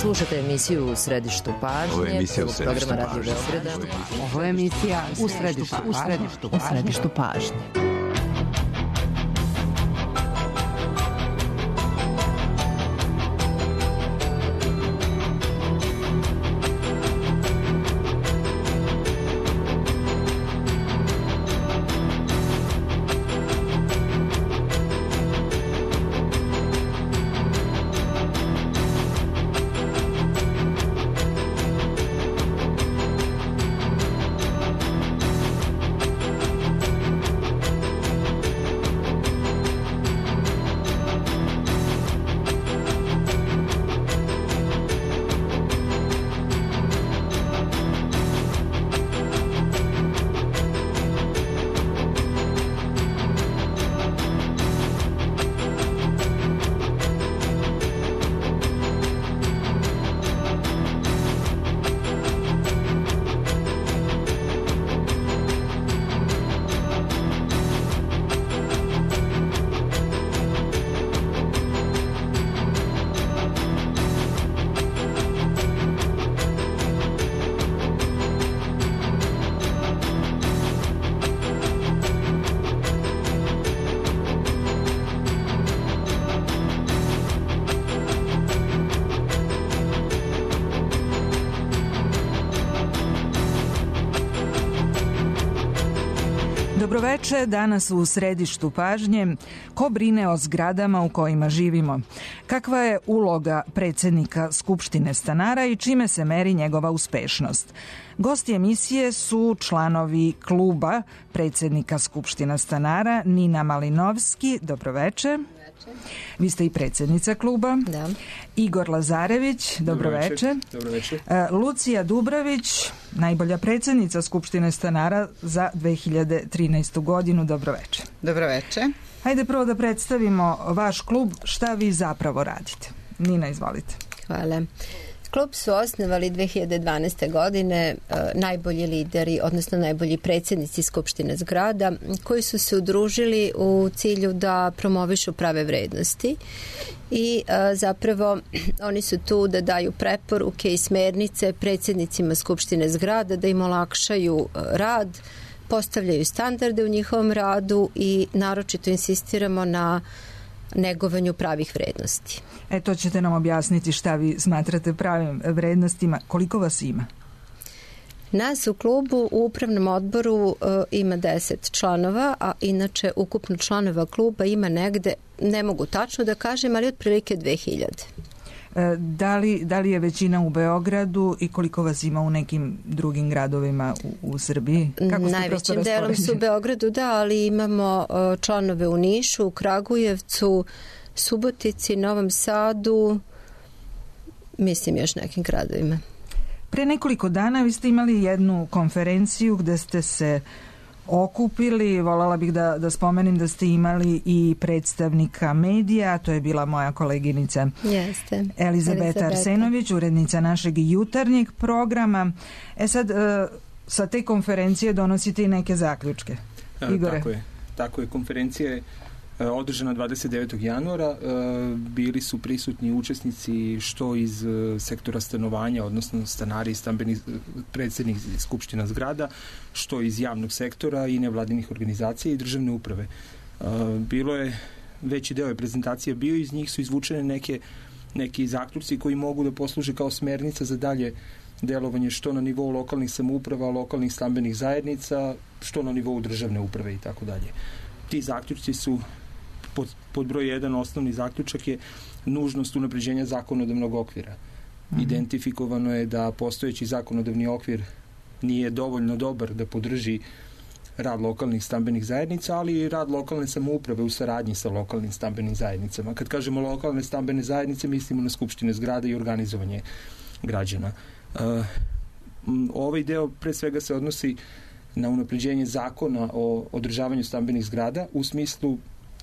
Slušate emisiju U središtu pažnje. Ovo je emisija U središtu programa Radio pažnje. Beograda. Ovo je emisija U središtu pažnje. Dobroveče, danas u središtu pažnje. Ko brine o zgradama u kojima živimo? Kakva je uloga predsjednika Skupštine stanara i čime se meri njegova uspešnost? Gosti emisije su članovi kluba predsjednika Skupština stanara Nina Malinovski. Dobroveče. Vi ste i predsjednica kluba. Da. Igor Lazarević, dobroveče. Dobroveče. Lucija Dubravić, najbolja predsjednica Skupštine stanara za 2013. godinu. Dobroveče. Dobroveče. Hajde prvo da predstavimo vaš klub, šta vi zapravo radite. Nina, izvolite. Hvala. Klub su osnovali 2012. godine najbolji lideri, odnosno najbolji predsjednici Skupštine zgrada, koji su se udružili u cilju da promovišu prave vrednosti i zapravo oni su tu da daju preporuke i smernice predsjednicima Skupštine zgrada, da im olakšaju rad, postavljaju standarde u njihovom radu i naročito insistiramo na negovanju pravih vrednosti. To ćete nam objasniti šta vi smatrate pravim vrednostima. Koliko vas ima? Nas u klubu u upravnom odboru ima 10 članova, a inače ukupno članova kluba ima negde, ne mogu tačno da kažem, ali otprilike 2000. Da li je većina u Beogradu i koliko vas ima u nekim drugim gradovima u Srbiji? Najvećim delom su u Beogradu, da, ali imamo članove u Nišu, u Kragujevcu, Subotici, Novom Sadu, mislim još nekim gradovima. Pre nekoliko dana vi ste imali jednu konferenciju gde ste se okupili, voljela bih da spomenem da ste imali i predstavnika medija, to je bila moja koleginica Elizabeta Arsenović, urednica našeg jutarnjeg programa. Sad, sa te konferencije donosite i neke zaključke. Igore? Tako je. Konferencija je održana 29. januara. Bili su prisutni učesnici što iz sektora stanovanja, odnosno stanari i stambeni predsjednik Skupština zgrada, što iz javnog sektora i nevladinih organizacija i državne uprave. Bilo je, veći deo prezentacije bio, iz njih su izvučene neki zaključci koji mogu da posluže kao smernica za dalje delovanje što na nivou lokalnih samouprava, lokalnih stambenih zajednica, što na nivou državne uprave i tako dalje. Ti zaključci su pod broj 1 osnovni zaključak je nužnost unapređenja zakonodavnog okvira. Identifikovano je da postojeći zakonodavni okvir nije dovoljno dobar da podrži rad lokalnih stambenih zajednica, ali i rad lokalne samouprave u saradnji sa lokalnim stambenim zajednicama. Kad kažemo lokalne stambene zajednice, mislimo na skupštine zgrada i organizovanje građana. Ovaj deo pre svega se odnosi na unapređenje zakona o održavanju stambenih zgrada u smislu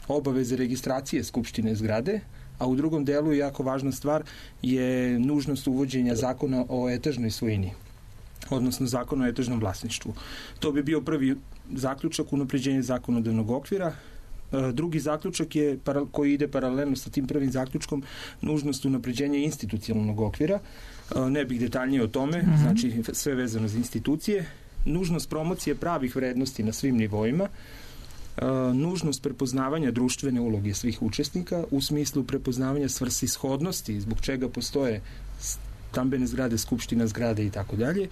obaveze registracije skupštine zgrade, a u drugom delu jako važna stvar je nužnost uvođenja zakona o etažnoj svojini, odnosno zakona o etažnom vlasništvu. To bi bio prvi zaključak, unapređenje zakonodavnog okvira. Drugi zaključak je, koji ide paralelno sa tim prvim zaključkom, nužnost unapređenja institucionalnog okvira. Ne bih detaljnije o tome, znači sve vezano za institucije. Nužnost promocije pravih vrednosti na svim nivoima. Nužnost prepoznavanja društvene uloge svih učesnika u smislu prepoznavanja svrsishodnosti, zbog čega postoje stambene zgrade, skupština zgrade i tako dalje.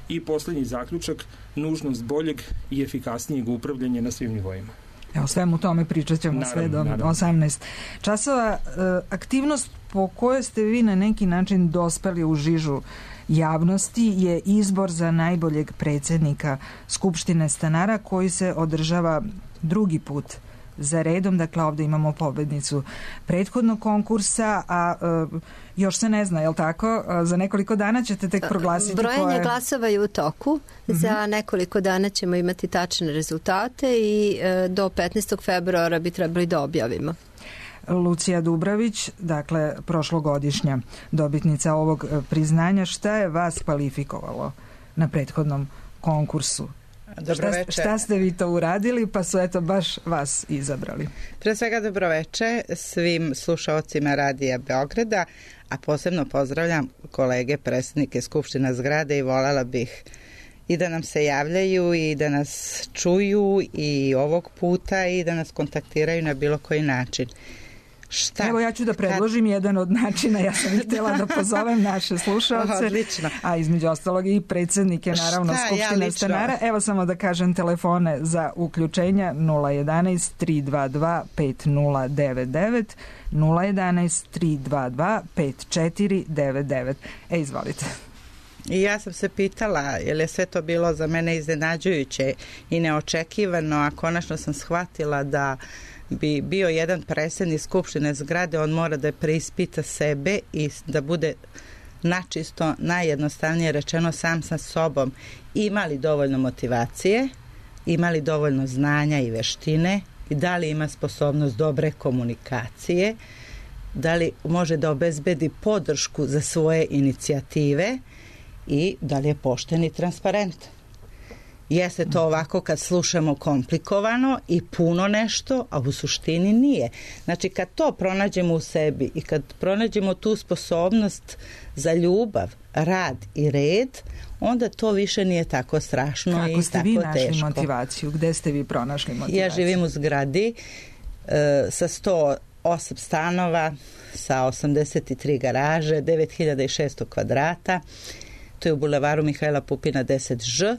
I posljednji zaključak, nužnost boljeg i efikasnijeg upravljanja na svim nivoima. Evo, svemu tome pričat ćemo sve do 18 časova. Aktivnost po kojoj ste vi na neki način dospeli u žižu javnosti je izbor za najboljeg predsjednika Skupštine stanara koji se održava drugi put za redom. Dakle, ovdje imamo pobednicu prethodnog konkursa, a još se ne zna, je li tako? Za nekoliko dana ćete tek proglasiti brojanje glasova je u toku. Za nekoliko dana ćemo imati tačne rezultate i do 15. februara bi trebali da objavimo. Lucija Dubravić, dakle prošlogodišnja dobitnica ovog priznanja, šta je vas kvalifikovalo na prethodnom konkursu? Šta ste vi to uradili pa su eto baš vas izabrali? Pre svega dobroveče svim slušaocima Radija Beograda, a posebno pozdravljam kolege predsjednike Skupština zgrade i voljela bih i da nam se javljaju i da nas čuju i ovog puta i da nas kontaktiraju na bilo koji način. Evo ja ću da predložim jedan od načina, ja sam htjela da pozovem naše slušalce, a između ostalog i predsjednike naravno Skupštine stanara. Evo samo da kažem telefone za uključenja 011 322 5099, 011 322 5499. Izvolite. I ja sam se pitala, jer je sve to bilo za mene iznenađujuće i neočekivano, a konačno sam shvatila da bi bio jedan predsjednik Skupštine zgrade, on mora da preispita sebe i da bude načisto, najjednostavnije rečeno, sam sa sobom. Ima li dovoljno motivacije, ima li dovoljno znanja i veštine i da li ima sposobnost dobre komunikacije, da li može da obezbedi podršku za svoje inicijative i da li je pošten i transparentan. Jeste to ovako kad slušamo komplikovano i puno nešto, a u suštini nije. Znači kad to pronađemo u sebi i kad pronađemo tu sposobnost za ljubav, rad i red, onda to više nije tako strašno i tako teško. Kako ste vi našli motivaciju? Gde ste vi pronašli motivaciju? Ja živim u zgradi sa 108 stanova, sa 83 garaže, 9600 kvadrata. To je u bulevaru Mihajla Pupina 10Ž.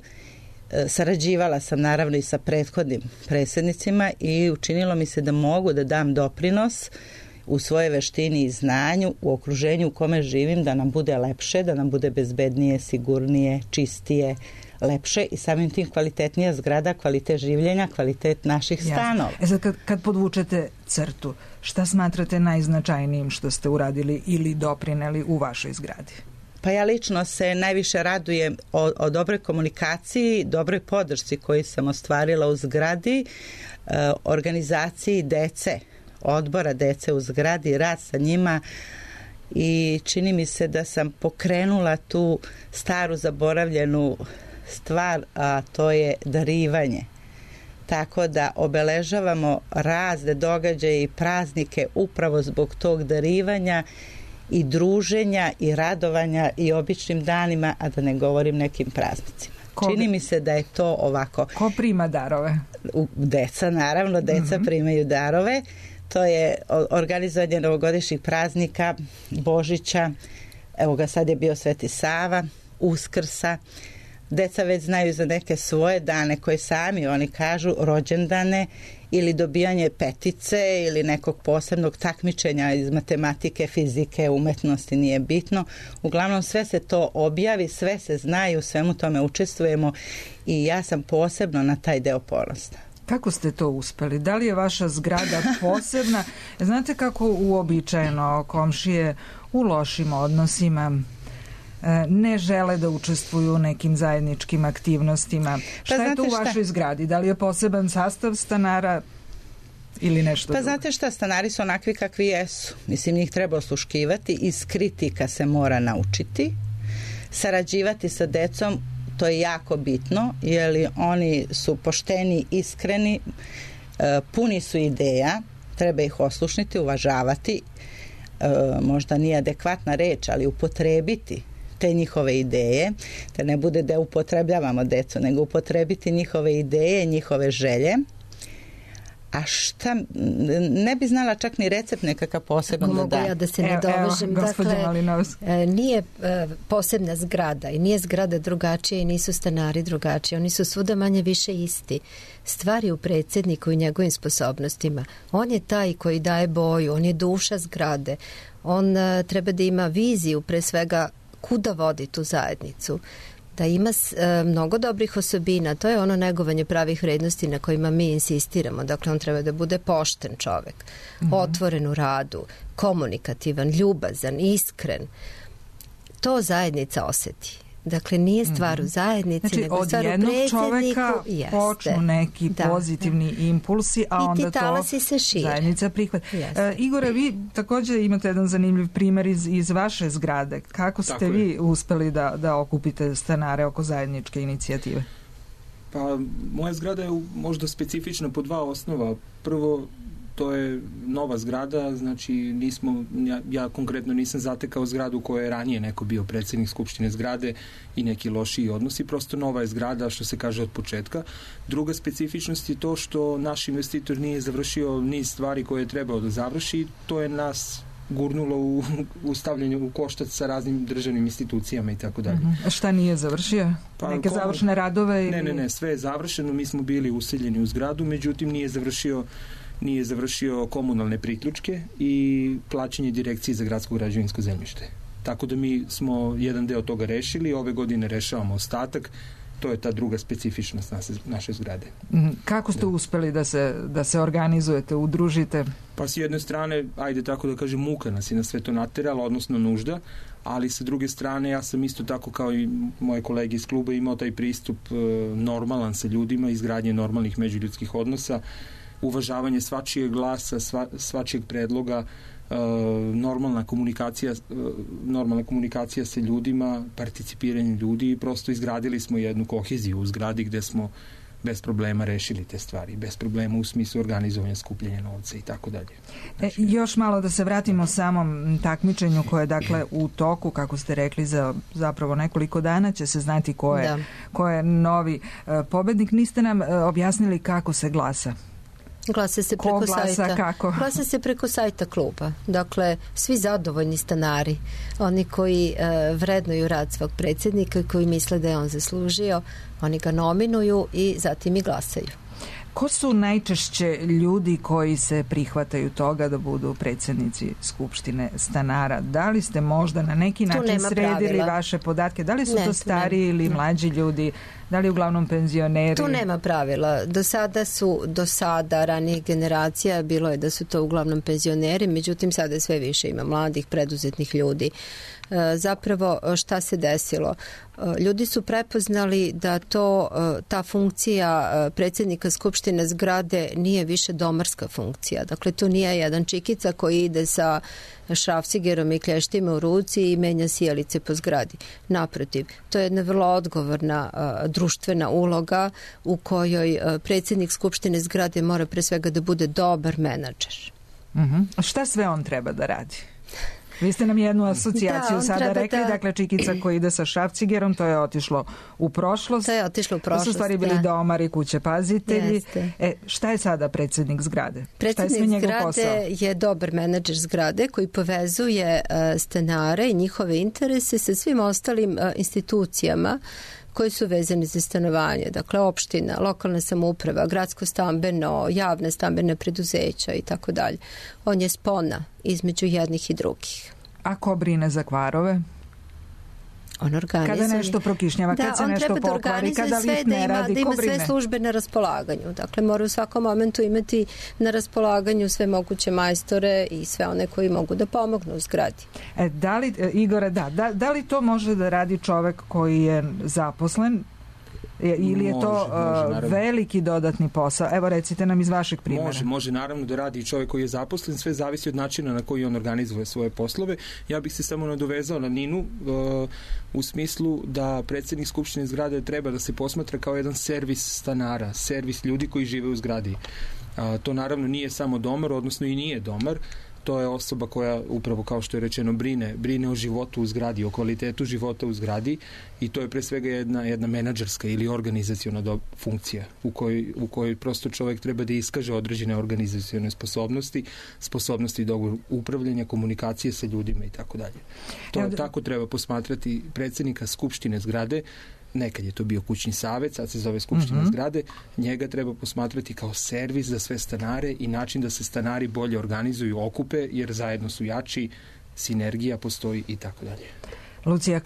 Sarađivala sam naravno i sa prethodnim predsjednicima i učinilo mi se da mogu da dam doprinos u svoje veštini i znanju u okruženju u kome živim, da nam bude lepše, da nam bude bezbednije, sigurnije, čistije, lepše i samim tim kvalitetnija zgrada, kvalitet življenja, kvalitet naših stanova. Sad kad podvučete crtu, šta smatrate najznačajnijim što ste uradili ili doprineli u vašoj zgradi? Pa ja lično se najviše radujem o dobroj komunikaciji, dobroj podršci koju sam ostvarila u zgradi, organizaciji dece, odbora dece u zgradi, rad sa njima i čini mi se da sam pokrenula tu staru zaboravljenu stvar, a to je darivanje. Tako da obeležavamo razne događaje i praznike upravo zbog tog darivanja i druženja i radovanja i običnim danima, a da ne govorim nekim praznicima. Čini mi se da je to ovako. Ko prima darove? Deca, naravno, deca primaju darove. To je organizovanje novogodišnjih praznika, Božića, evo ga sad je bio Sveti Sava, Uskrsa. Deca već znaju za neke svoje dane koje sami oni kažu, rođendane ili dobijanje petice ili nekog posebnog takmičenja iz matematike, fizike, umetnosti, nije bitno. Uglavnom sve se to objavi, sve se znaju, svemu tome učestvujemo i ja sam posebno na taj deo ponosna. Kako ste to uspeli? Da li je vaša zgrada posebna? Znate kako uobičajeno komšije u lošim odnosima ne žele da učestvuju u nekim zajedničkim aktivnostima. Šta je to u vašoj zgradi? Da li je poseban sastav stanara ili nešto drugo? Znate šta, stanari su onakvi kakvi jesu. Mislim, njih treba osluškivati, iz kritika se mora naučiti, sarađivati sa decom, to je jako bitno, jer oni su pošteni, iskreni, puni su ideja, treba ih oslušniti, uvažavati, možda nije adekvatna reč, ali upotrebiti te njihove ideje, da ne bude da upotrebljavamo decu, nego upotrebiti njihove ideje, njihove želje. A šta, ne bi znala čak ni recept nekakav poseban da da. Mogu ja da se ne dovežem. Dakle, nije posebna zgrada i nije zgrada drugačija i nisu stanari drugačiji. Oni su svuda manje više isti. Stvari u predsjedniku i njegovim sposobnostima. On je taj koji daje boju, on je duša zgrade. On treba da ima viziju, pre svega, kuda vodi tu zajednicu. Da ima mnogo dobrih osobina, to je ono negovanje pravih vrednosti na kojima mi insistiramo. Dakle, on treba da bude pošten čovek, otvoren u radu, komunikativan, ljubazan, iskren. To zajednica oseti. Dakle, nije stvar u zajednici, znači, nego stvar u predsjedniku. Od jednog čoveka počnu neki pozitivni impulsi, a onda to zajednica prihvata. Igore, vi također imate jedan zanimljiv primjer iz vaše zgrade. Kako ste vi uspeli da okupite stanare oko zajedničke inicijative? Pa, moja zgrada je možda specifična po dva osnova. Prvo, to je nova zgrada, znači ja konkretno nisam zatekao zgradu koja je ranije neko bio predsjednik skupštine zgrade i neki lošiji odnosi, prosto nova je zgrada što se kaže od početka. Druga specifičnost je to što naš investitor nije završio niz stvari koje je trebao da završi, to je nas gurnulo u stavljanju u koštac sa raznim državnim institucijama i tako dalje. Šta nije završio? Neke završne radove? Ne, sve je završeno, mi smo bili useljeni u zgradu, međutim nije završio komunalne priključke i plaćanje direkcije za gradsko građevinsko zemljište. Tako da mi smo jedan deo toga rešili, ove godine rešavamo ostatak, to je ta druga specifičnost naše zgrade. Kako ste uspeli da se organizujete, udružite? Pa s jedne strane, ajde tako da kažem, muka nas je na sve to naterala, odnosno nužda, ali sa druge strane ja sam isto tako kao i moje kolege iz kluba imao taj pristup normalan sa ljudima, izgradnje normalnih međuljudskih odnosa, uvažavanje svačijeg glasa, svačijeg predloga, normalna komunikacija sa ljudima, participiranje ljudi i prosto izgradili smo jednu koheziju u zgradi gde smo bez problema rešili te stvari, bez problema u smislu organizovanja skupljanja novca i tako dalje. Još malo da se vratimo samom takmičenju koje je dakle u toku, kako ste rekli, za zapravo nekoliko dana će se znati ko je novi pobednik. Niste nam objasnili kako se glasa. Glasa se preko sajta. Kako? Glasa se preko sajta kluba. Dakle, svi zadovoljni stanari, oni koji vrednuju rad svog predsjednika i koji misle da je on zaslužio, oni ga nominuju i zatim i glasaju. Ko su najčešće ljudi koji se prihvataju toga da budu predsjednici Skupštine stanara? Da li ste možda na neki način sredili vaše podatke? Da li su to stariji ili mlađi ljudi? Da li uglavnom penzioneri? Tu nema pravila. Do sada ranijih generacija bilo je da su to uglavnom penzioneri, međutim sada sve više ima mladih, preduzetnih ljudi. Zapravo šta se desilo? Ljudi su prepoznali da ta funkcija predsjednika Skupštine zgrade nije više domarska funkcija. Dakle, to nije jedan čikica koji ide sa šrafcigerom i klještima u ruci i menja sijalice po zgradi. Naprotiv, to je jedna vrlo odgovorna društvena uloga u kojoj predsjednik Skupštine zgrade mora pre svega da bude dobar menadžer. Šta sve on treba da radi? Vi ste nam jednu asocijaciju sada rekli, dakle čikica koji ide sa šrafcigerom, to je otišlo u prošlost. To su stvari bili domari, kuće pazitelji. Šta je sada predsjednik zgrade? Predsjednik zgrade je dobar menadžer zgrade koji povezuje stanare i njihove interese sa svim ostalim institucijama koji su vezani za stanovanje, dakle opština, lokalna samouprava, gradsko stambeno, javne stambene preduzeća i tako dalje. On je spona između jednih i drugih. A ko brine za kvarove? On organizuje. Kada nešto prokišnjava, kad se nešto pokvari, kada lift ne radi, ko brine? Da ima sve službe na raspolaganju. Dakle, mora u svakom momentu imati na raspolaganju sve moguće majstore i sve one koji mogu da pomognu u zgradi. Igore, da li to može da radi čovek koji je zaposlen ili je to veliki dodatni posao? Evo recite nam iz vašeg primjera. Može naravno da radi i čovjek koji je zaposlen, sve zavisi od načina na koji on organizuje svoje poslove. Ja bih se samo nadovezao na Ninu u smislu da predsjednik Skupštine zgrade treba da se posmatra kao jedan servis stanara, servis ljudi koji žive u zgradi. To naravno nije samo domar, odnosno i nije domar. To je osoba koja, upravo kao što je rečeno, brine o životu u zgradi, o kvalitetu života u zgradi, i to je pre svega jedna menadžerska ili organizaciona funkcija u kojoj prosto čovjek treba da iskaže određene organizacione sposobnosti do upravljanja, komunikacije sa ljudima i tako dalje. Tako treba posmatrati predsjednika skupštine zgrade. Nekad je to bio kućni savjet, sad se zove skupština zgrade. Njega treba posmatrati kao servis za sve stanare i način da se stanari bolje organizuju, okupe, jer zajedno su jači, sinergija postoji i tako dalje. Lucija,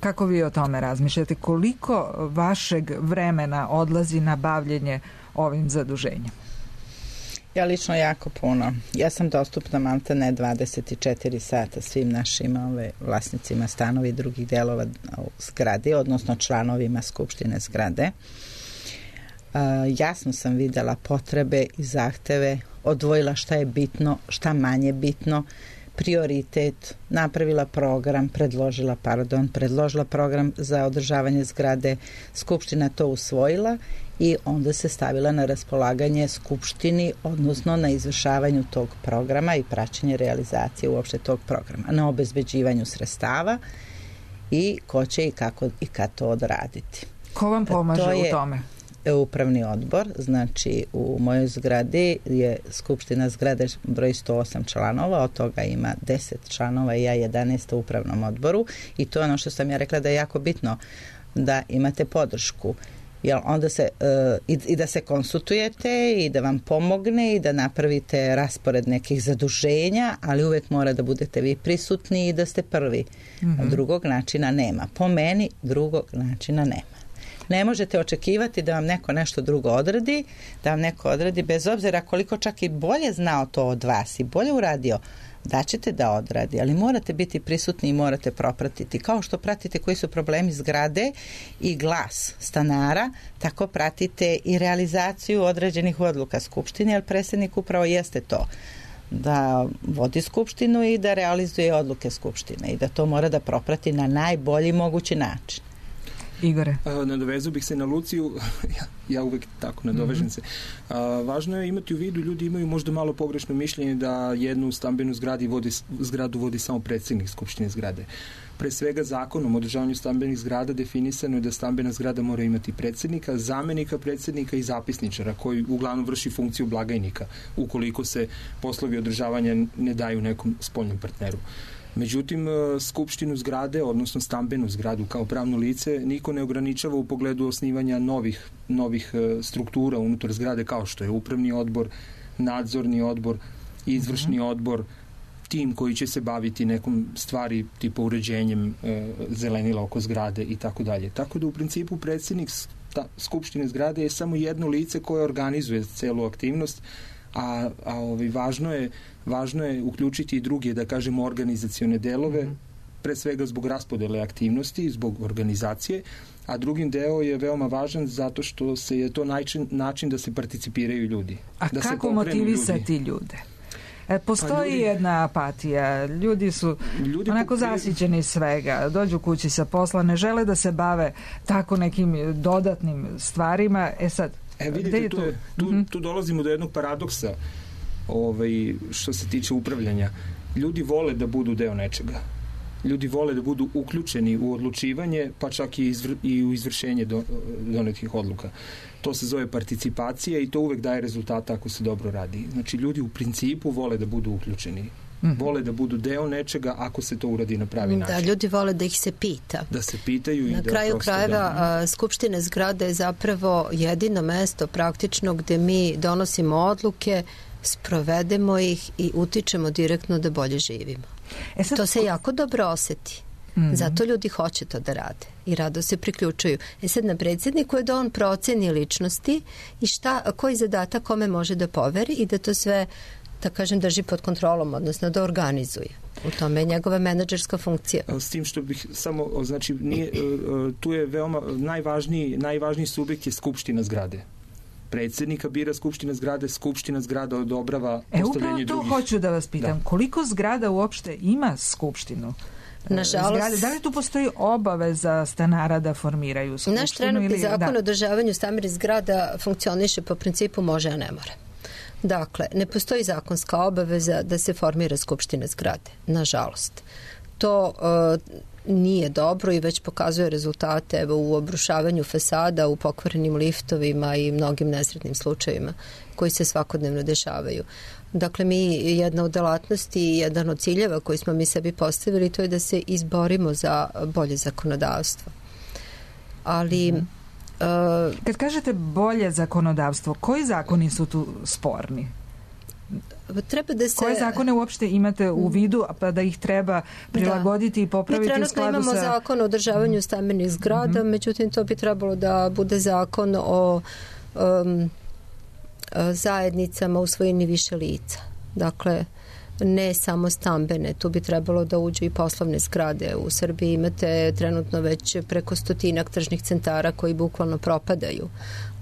kako vi o tome razmišljate? Koliko vašeg vremena odlazi na bavljenje ovim zaduženjem? Ja lično jako puno. Ja sam dostupna maltene 24 sata svim našim vlasnicima stanova i drugih delova u zgradi, odnosno članovima skupštine zgrade. Jasno sam videla potrebe i zahteve, odvojila šta je bitno, šta manje bitno, prioritet, napravila program, predložila program za održavanje zgrade, skupština to usvojila i onda se stavila na raspolaganje skupštini, odnosno na izvršavanju tog programa i praćenje realizacije uopšte tog programa, na obezbeđivanju sredstava i ko će i kako i kad to odraditi. Ko vam pomaže u tome? Upravni odbor, znači u mojoj zgradi je skupština zgrade broj 108 članova, od toga ima 10 članova i ja 11 u upravnom odboru, i to je ono što sam ja rekla da je jako bitno, da imate podršku, jer onda se i da se konsultujete i da vam pomogne i da napravite raspored nekih zaduženja, ali uvek mora da budete vi prisutni i da ste prvi. Drugog načina nema. Po meni drugog načina nema. Ne možete očekivati da vam neko nešto drugo odradi, da vam neko odradi bez obzira koliko čak i bolje znao to od vas i bolje uradio, da ćete da odradi, ali morate biti prisutni i morate propratiti. Kao što pratite koji su problemi zgrade i glas stanara, tako pratite i realizaciju određenih odluka skupštine, jer predsjednik upravo jeste to, da vodi skupštinu i da realizuje odluke skupštine i da to mora da proprati na najbolji mogući način. Igore. Nadovezao bih se na Luciju, ja uvek tako nadovežem se. Važno je imati u vidu, ljudi imaju možda malo pogrešno mišljenje da jednu stambenu zgradu vodi samo predsjednik skupštine zgrade. Pre svega zakonom o održavanju stambenih zgrada definisano je da stambena zgrada mora imati predsjednika, zamenika predsjednika i zapisničara, koji uglavnom vrši funkciju blagajnika, ukoliko se poslovi održavanja ne daju nekom spoljnom partneru. Međutim, skupštinu zgrade, odnosno stambenu zgradu kao pravno lice, niko ne ograničava u pogledu osnivanja novih struktura unutar zgrade, kao što je upravni odbor, nadzorni odbor, izvršni odbor, tim koji će se baviti nekom stvari tipa uređenjem zelenila oko zgrade i tako dalje. Tako da u principu predsjednik skupštine zgrade je samo jedno lice koje organizuje celu aktivnost, a važno je uključiti i druge, da kažemo, organizacione delove, pre svega zbog raspodele aktivnosti, zbog organizacije, a drugim deo je veoma važan zato što je to način da se participiraju ljudi. A da kako motivisati ljude? Postoji jedna apatija, ljudi su onako zasićeni svega, dođu kući sa posla, ne žele da se bave tako nekim dodatnim stvarima. Vidite, tu dolazimo do jednog paradoksa što se tiče upravljanja. Ljudi vole da budu deo nečega. Ljudi vole da budu uključeni u odlučivanje, pa čak i u izvršenje donetih odluka. To se zove participacija i to uvek daje rezultata ako se dobro radi. Znači, ljudi u principu vole da budu uključeni. Vole da budu deo nečega ako se to uradi na pravi način. Da, ljudi vole da ih se pita. Da se pitaju i na kraju krajeva skupštine zgrade je zapravo jedino mesto praktično gde mi donosimo odluke, sprovedemo ih i utičemo direktno da bolje živimo. To se jako dobro oseti. Zato ljudi hoće to da rade i rado se priključuju. Sad na predsjedniku je da on proceni ličnosti i koji zadatak kome može da poveri i da to sve, da kažem, drži pod kontrolom, odnosno da organizuje. U tome je njegova menadžerska funkcija. S tim što bih samo, znači, tu je veoma najvažniji subjekt je skupština zgrade. Predsjednika bira skupština zgrada odobrava postavljanje drugih. Upravo to hoću da vas pitam. Da. Koliko zgrada uopšte ima skupštinu? Nažalost, da li tu postoji obaveza stanara da formiraju skupštinu? Naš trenutni zakon o održavanju stambenih zgrada funkcioniše po principu može, a ne mora. Dakle, ne postoji zakonska obaveza da se formira skupština zgrade, nažalost. To nije dobro i već pokazuje rezultate u obrušavanju fasada, u pokvarenim liftovima i mnogim nesretnim slučajevima koji se svakodnevno dešavaju. Dakle, jedna od delatnosti i jedan od ciljeva koji smo mi sebi postavili, to je da se izborimo za bolje zakonodavstvo. Ali kad kažete bolje zakonodavstvo, koji zakoni su tu sporni? Treba da se... Koje zakone uopšte imate u vidu, pa da ih treba prilagoditi i popraviti u skladu sa... Mi trenutno imamo zakon o održavanju stambenih zgrada, međutim to bi trebalo da bude zakon o zajednicama u svojini više lica. Dakle, ne samo stambene, tu bi trebalo da uđu i poslovne zgrade. U Srbiji imate trenutno već preko 100 tržnih centara koji bukvalno propadaju,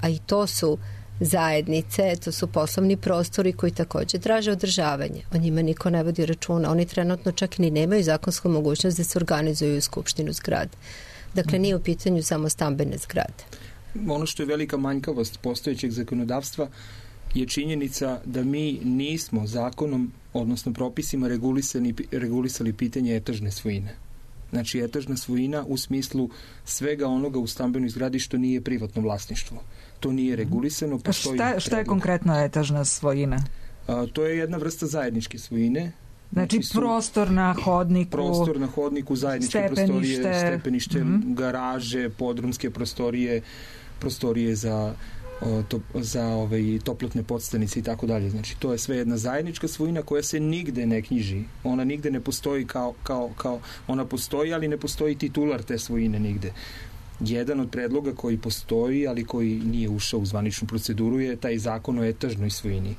a i to su zajednice, to su poslovni prostori koji također traže održavanje. O njima niko ne vodi računa. Oni trenutno čak ni nemaju zakonsku mogućnost da se organizuju u skupštinu zgrade. Dakle, nije u pitanju samo stambene zgrade. Ono što je velika manjkavost postojećeg zakonodavstva je činjenica da mi nismo zakonom, odnosno propisima regulisali pitanje etažne svojine. Znači, etažna svojina u smislu svega onoga u stambenoj zgradi što nije privatno vlasništvo. To nije regulisano. Šta je konkretno etažna svojina? To je jedna vrsta zajedničke svojine. Znači prostor na hodniku, zajedničke prostorije, stepenište, garaže, podrumske prostorije za toplotne podstanice i tako dalje. Znači, to je sve jedna zajednička svojina koja se nigde ne knjiži. Ona nigde ne postoji kao ona postoji, ali ne postoji titular te svojine nigde. Jedan od predloga koji postoji, ali koji nije ušao u zvaničnu proceduru, je taj zakon o etažnoj svojini.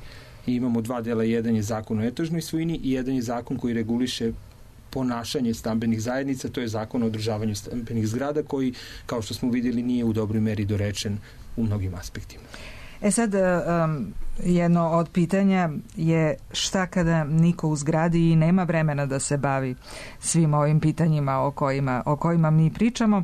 I imamo dva dela, jedan je zakon o etažnoj svojini i jedan je zakon koji reguliše ponašanje stambenih zajednica, to je zakon o održavanju stambenih zgrada koji, kao što smo vidjeli, nije u dobroj meri dorečen u mnogim aspektima. Sad, jedno od pitanja je šta kada niko u zgradi i nema vremena da se bavi svim ovim pitanjima o kojima mi pričamo.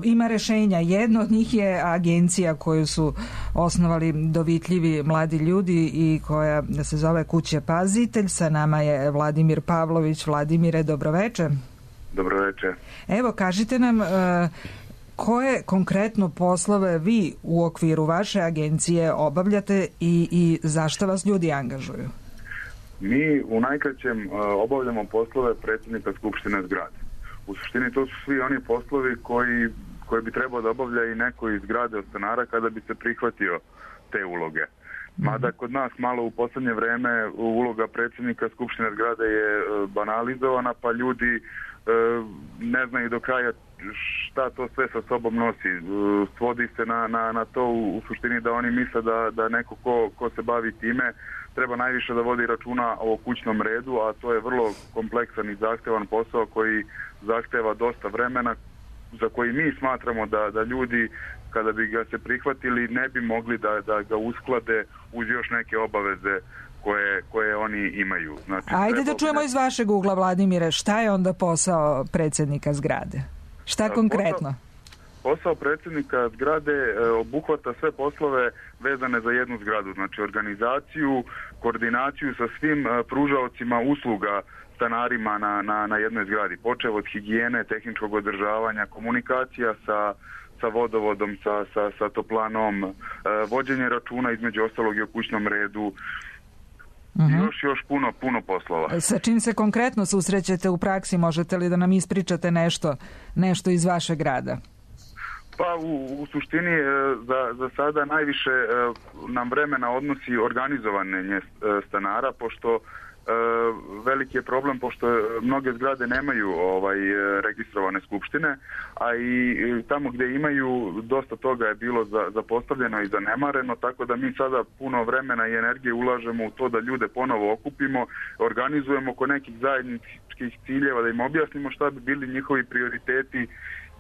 Ima rešenja. Jedno od njih je agencija koju su osnovali dovitljivi mladi ljudi i koja se zove Kuće Pazitelj. Sa nama je Vladimir Pavlović. Vladimire, dobroveče. Dobroveče. Evo, kažite nam koje konkretno poslove vi u okviru vaše agencije obavljate i zašto vas ljudi angažuju? Mi u najkraćem obavljamo poslove predsjednika Skupštine zgrade. U suštini to su svi oni poslovi koji bi trebao da obavlja i neko iz zgrade od stanara kada bi se prihvatio te uloge. Mada kod nas malo u posljednje vreme uloga predsjednika Skupštine zgrade je banalizovana, pa ljudi ne znaju do kraja šta to sve sa sobom nosi. Svodi se na to u suštini da oni misle da neko ko se bavi time treba najviše da vodi računa o kućnom redu, a to je vrlo kompleksan i zahtevan posao koji zahteva dosta vremena, za koji mi smatramo da ljudi, kada bi ga se prihvatili, ne bi mogli da ga usklade uz još neke obaveze koje oni imaju. Znači, ajde da čujemo iz vašeg ugla, Vladimire, šta je onda posao predsjednika zgrade? Šta konkretno? Posao predsjednika zgrade obuhvata sve poslove vezane za jednu zgradu, znači organizaciju, koordinaciju sa svim pružaocima usluga stanarima na jednoj zgradi, počev od higijene, tehničkog održavanja, komunikacija sa vodovodom, sa toplanom, vođenje računa između ostalog i o kućnom redu, još puno poslova. Sa čim se konkretno susrećete u praksi? Možete li da nam ispričate nešto iz vašeg rada? Pa u suštini za sada najviše nam vremena odnosi organizovanje stanara, pošto veliki je problem, pošto mnoge zgrade nemaju registrovane skupštine, a i tamo gdje imaju, dosta toga je bilo zapostavljeno i zanemareno, tako da mi sada puno vremena i energije ulažemo u to da ljude ponovo okupimo, organizujemo oko nekih zajedničkih ciljeva, da im objasnimo šta bi bili njihovi prioriteti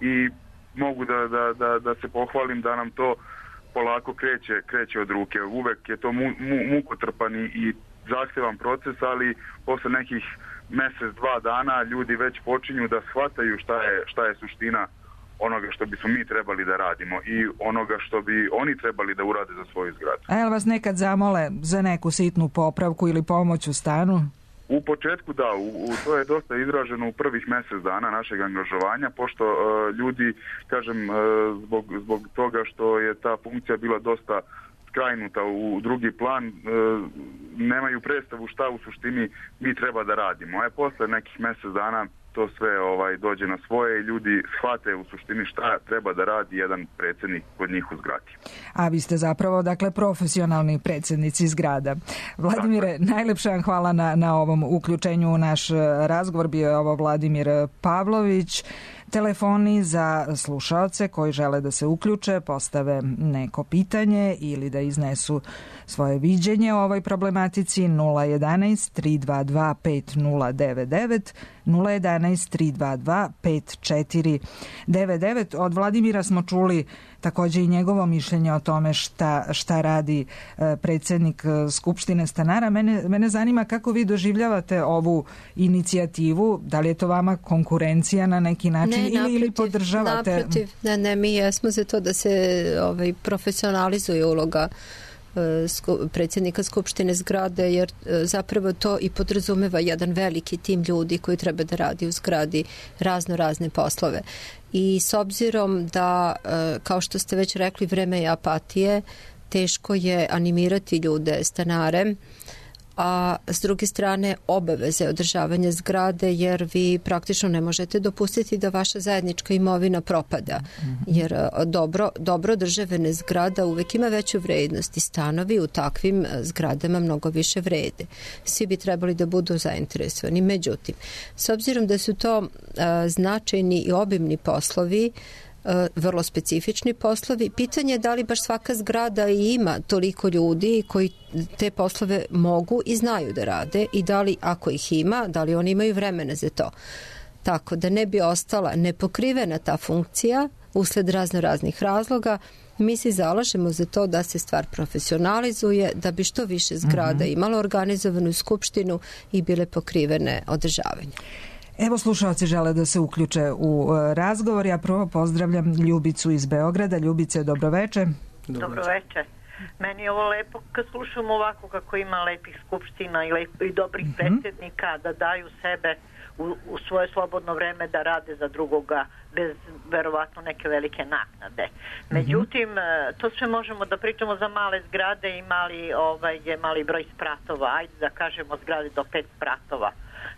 i mogu da se pohvalim da nam to polako kreće od ruke. Uvek je to mukotrpan i zahtjevan proces, ali posle nekih mjesec, 2 dana ljudi već počinju da shvataju šta je suština onoga što bismo mi trebali da radimo i onoga što bi oni trebali da urade za svoju zgradu. A jel vas nekad zamole za neku sitnu popravku ili pomoć u stanu? U početku da, to je dosta izraženo u prvih mjesec dana našeg angažovanja, pošto ljudi, kažem, zbog toga što je ta funkcija bila dosta skrajnuta u drugi plan, nemaju predstavu šta u suštini mi treba da radimo. A posle nekih mjesec dana to sve dođe na svoje i ljudi shvate u suštini šta treba da radi jedan predsjednik kod njih u zgradi. A vi ste zapravo, dakle, profesionalni predsjednici zgrada. Vladimire, najlepša vam hvala na ovom uključenju u naš razgovor. Bio je ovo Vladimir Pavlović. Telefoni za slušaoce koji žele da se uključe, postave neko pitanje ili da iznesu svoje viđenje o ovoj problematici 011 322 5099 011 322 5499. Od Vladimira smo čuli također i njegovo mišljenje o tome šta radi predsjednik Skupštine stanara. Mene zanima kako vi doživljavate ovu inicijativu, da li je to vama konkurencija na neki način ili podržavate? Naprotiv, mi jesmo za to da se profesionalizuje uloga predsjednika Skupštine zgrade, jer zapravo to i podrazumeva jedan veliki tim ljudi koji treba da radi u zgradi razne poslove. I s obzirom da, kao što ste već rekli, vreme je apatije, teško je animirati ljude, stanare, a s druge strane obaveze održavanja zgrade, jer vi praktično ne možete dopustiti da vaša zajednička imovina propada, jer dobro održavane zgrada uvek ima veću vrednost i stanovi u takvim zgradama mnogo više vrede. Svi bi trebali da budu zainteresovani. Međutim, s obzirom da su to značajni i obimni poslovi, vrlo specifični poslovi, pitanje je da li baš svaka zgrada ima toliko ljudi koji te poslove mogu i znaju da rade i da li, ako ih ima, da li oni imaju vremena za to. Tako da ne bi ostala nepokrivena ta funkcija usled raznih razloga, mi se zalažemo za to da se stvar profesionalizuje, da bi što više zgrada imalo organizovanu skupštinu i bile pokrivene održavanje. Evo, slušalci žele da se uključe u razgovor. Ja prvo pozdravljam Ljubicu iz Beograda. Ljubice, dobroveče. Dobroveče. Meni je ovo lepo kad slušam ovako kako ima lepih skupština i dobrih predsjednika da daju sebe u svoje slobodno vreme da rade za drugoga bez verovatno neke velike naknade. Međutim, to sve možemo da pričamo za male zgrade i mali broj spratova. Ajde da kažemo zgrade do 5 spratova.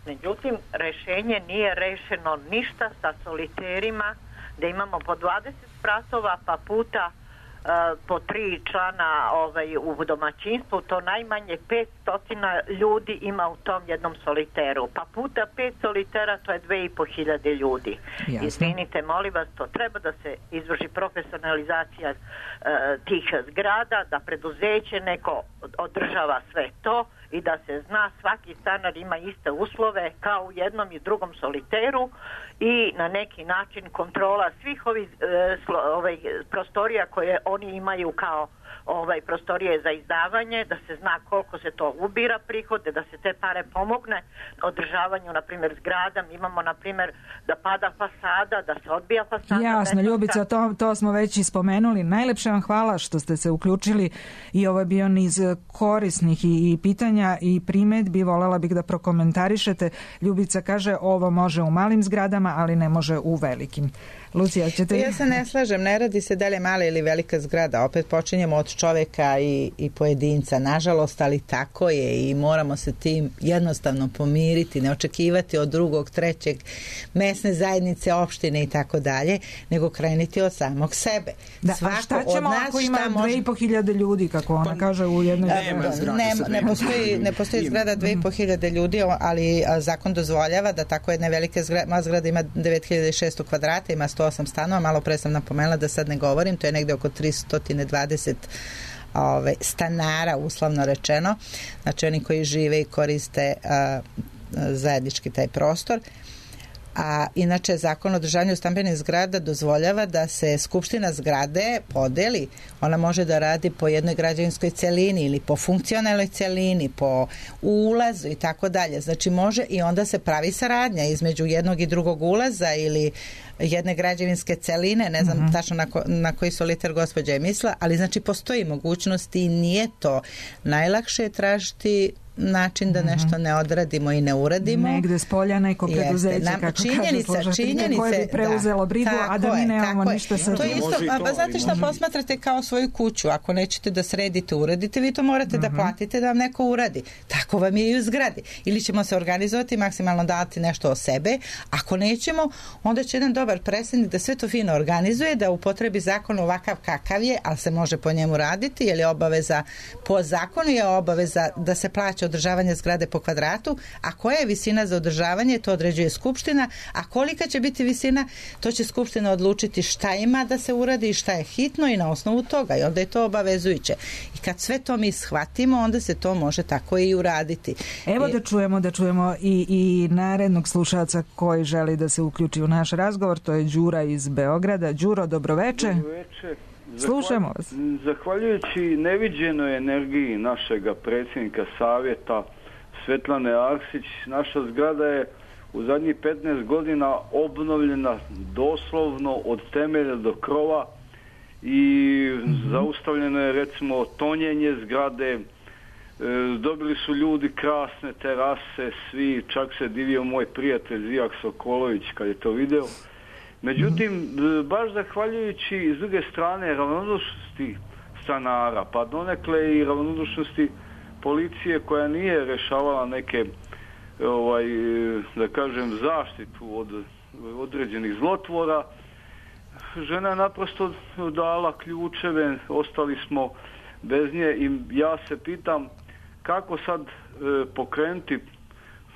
Međutim, rešenje nije rešeno ništa sa soliterima, da imamo po 20 spratova pa puta po 3 člana u domaćinstvu, to najmanje 500 ljudi ima u tom jednom soliteru. Pa puta 5 solitera, to je 2500 ljudi. Jasne. Izvinite, molim vas, to treba da se izvrši profesionalizacija tih zgrada, da preduzeće neko održava sve to i da se zna svaki stanar ima iste uslove kao u jednom i drugom soliteru i na neki način kontrola svih ovih prostorija koje oni imaju kao prostorije za izdavanje, da se zna koliko se to ubira prihode, da se te pare pomogne održavanju, na primjer, zgrada. Mi imamo, na primjer, da pada fasada, da se odbija fasada. Jasno, Ljubica, to smo već i spomenuli. Najlepše vam hvala što ste se uključili i ovo je bio niz korisnih i pitanja i primedbi. Volela bih da prokomentarišete. Ljubica kaže, ovo može u malim zgradama, ali ne može u velikim. Lucija, ćete... Ja se ne slažem, ne radi se dalje mala ili velika zgrada, opet počinjemo od čoveka i pojedinca, nažalost, ali tako je i moramo se tim jednostavno pomiriti, ne očekivati od drugog, trećeg, mesne zajednice, opštine i tako dalje, nego krenuti od samog sebe. Da, a šta ćemo ako ima 2500 ljudi, kako ona kaže u jednoj ne postoji zgrada 2500 ljudi, ali zakon dozvoljava da tako jedna velika zgrada ima 9600 kvadrata, ima 108 stanova, malo pre sam napomenula da sad ne govorim, to je negde oko 320 stanara, uslovno rečeno, znači oni koji žive i koriste zajednički taj prostor. A inače Zakon o održavanju stambenih zgrada dozvoljava da se skupština zgrade podeli. Ona može da radi po jednoj građevinskoj celini ili po funkcionalnoj celini, po ulazu i tako dalje. Znači može i onda se pravi saradnja između jednog i drugog ulaza ili jedne građevinske celine, ne znam tačno na koji soliter gospođa je mislila, ali znači postoji mogućnost i nije to najlakše tražiti način da nešto ne odradimo i ne uradimo. Negde s polja neko preduzeće, kako kažu slušatelji, koje bi preuzelo brigu, a da mi nemamo ništa sa to tim. Isto, znate šta, posmatrate kao svoju kuću. Ako nećete da sredite, uradite, vi to morate da platite da vam neko uradi. Tako vam je i u zgradi. Ili ćemo se organizovati, maksimalno dati nešto o sebe. Ako nećemo, onda će jedan dobar predsednik da sve to fino organizuje, da upotrebi zakon ovakav kakav je, ali se može po njemu raditi, jer je obaveza, po zakonu je obaveza da se plaća održavanje zgrade po kvadratu, a koja je visina za održavanje, to određuje skupština, a kolika će biti visina, to će skupština odlučiti šta ima da se uradi i šta je hitno i na osnovu toga, i onda je to obavezujuće. I kad sve to mi shvatimo, onda se to može tako i uraditi. Evo da čujemo i narednog slušaca koji želi da se uključi u naš razgovor, to je Đura iz Beograda. Đuro, dobroveče. Dobroveče. Slušamo vas. Zahvaljujući neviđenoj energiji našega predsjednika savjeta Svetlane Arsić, naša zgrada je u zadnjih 15 godina obnovljena doslovno od temelja do krova i zaustavljeno je recimo tonjenje zgrade, dobili su ljudi krasne terase, svi, čak se divio moj prijatelj Zijak Sokolović kad je to video. Međutim, baš zahvaljujući s druge strane ravnodušnosti stanara, pa donekle i ravnodušnosti policije koja nije rešavala neke, da kažem, zaštitu od određenih zlotvora, žena je naprosto dala ključeve, ostali smo bez nje i ja se pitam kako sad pokrenuti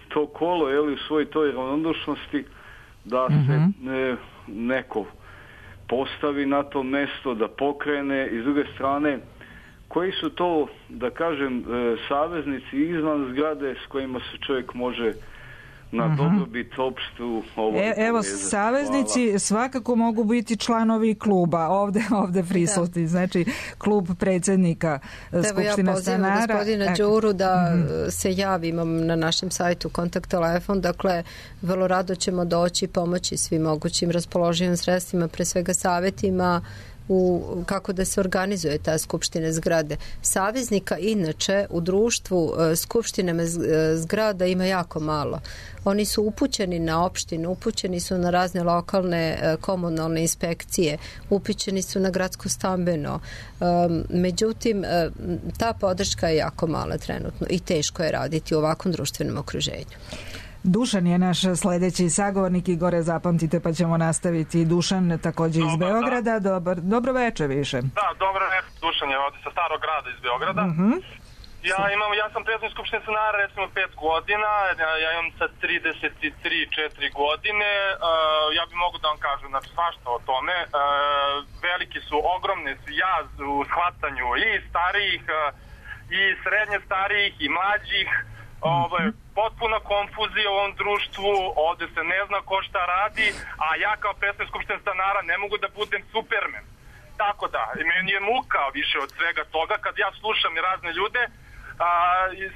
to kolo u svoj toj ravnodušnosti da se neko postavi na to mesto, da pokrene, i s druge strane koji su to, da kažem, saveznici izvan zgrade s kojima se čovjek može na dobrobit opštu evo, saveznici svakako mogu biti članovi kluba ovde prisutni, znači klub predsjednika Skupštine stanara. Ja pozivam gospodina Đuru da se javi, imam na našem sajtu kontakt telefon, dakle vrlo rado ćemo doći pomoći svim mogućim raspoloživim sredstvima, pre svega savjetima kako da se organizuje ta skupština zgrade. Saveznika inače u društvu skupštinama zgrada ima jako malo. Oni su upućeni na opštinu, upućeni su na razne lokalne komunalne inspekcije, upućeni su na gradsko stambeno. Međutim, ta podrška je jako mala trenutno i teško je raditi u ovakvom društvenom okruženju. Dušan je naš sljedeći sagovornik i gore zapamtite pa ćemo nastaviti. Dušan također iz Beograda. Dobro večer više. Da, dobro večer. Dušan je ovdje sa Starog grada iz Beograda. Ja sam predsjednik Skupštine stanara recimo 5 godina, ja imam sad 33-4 godine, ja bi mogu da vam kažem svašta o tome. Veliki su, ogromni su jaz u shvatanju i starijih, i srednje starijih, i mlađih. Potpuna konfuzija u ovom društvu, ovdje se ne zna ko šta radi, a ja kao predsjednik Skupštine stanara ne mogu da budem Superman. Tako da, meni je muka više od svega toga kad ja slušam i razne ljude,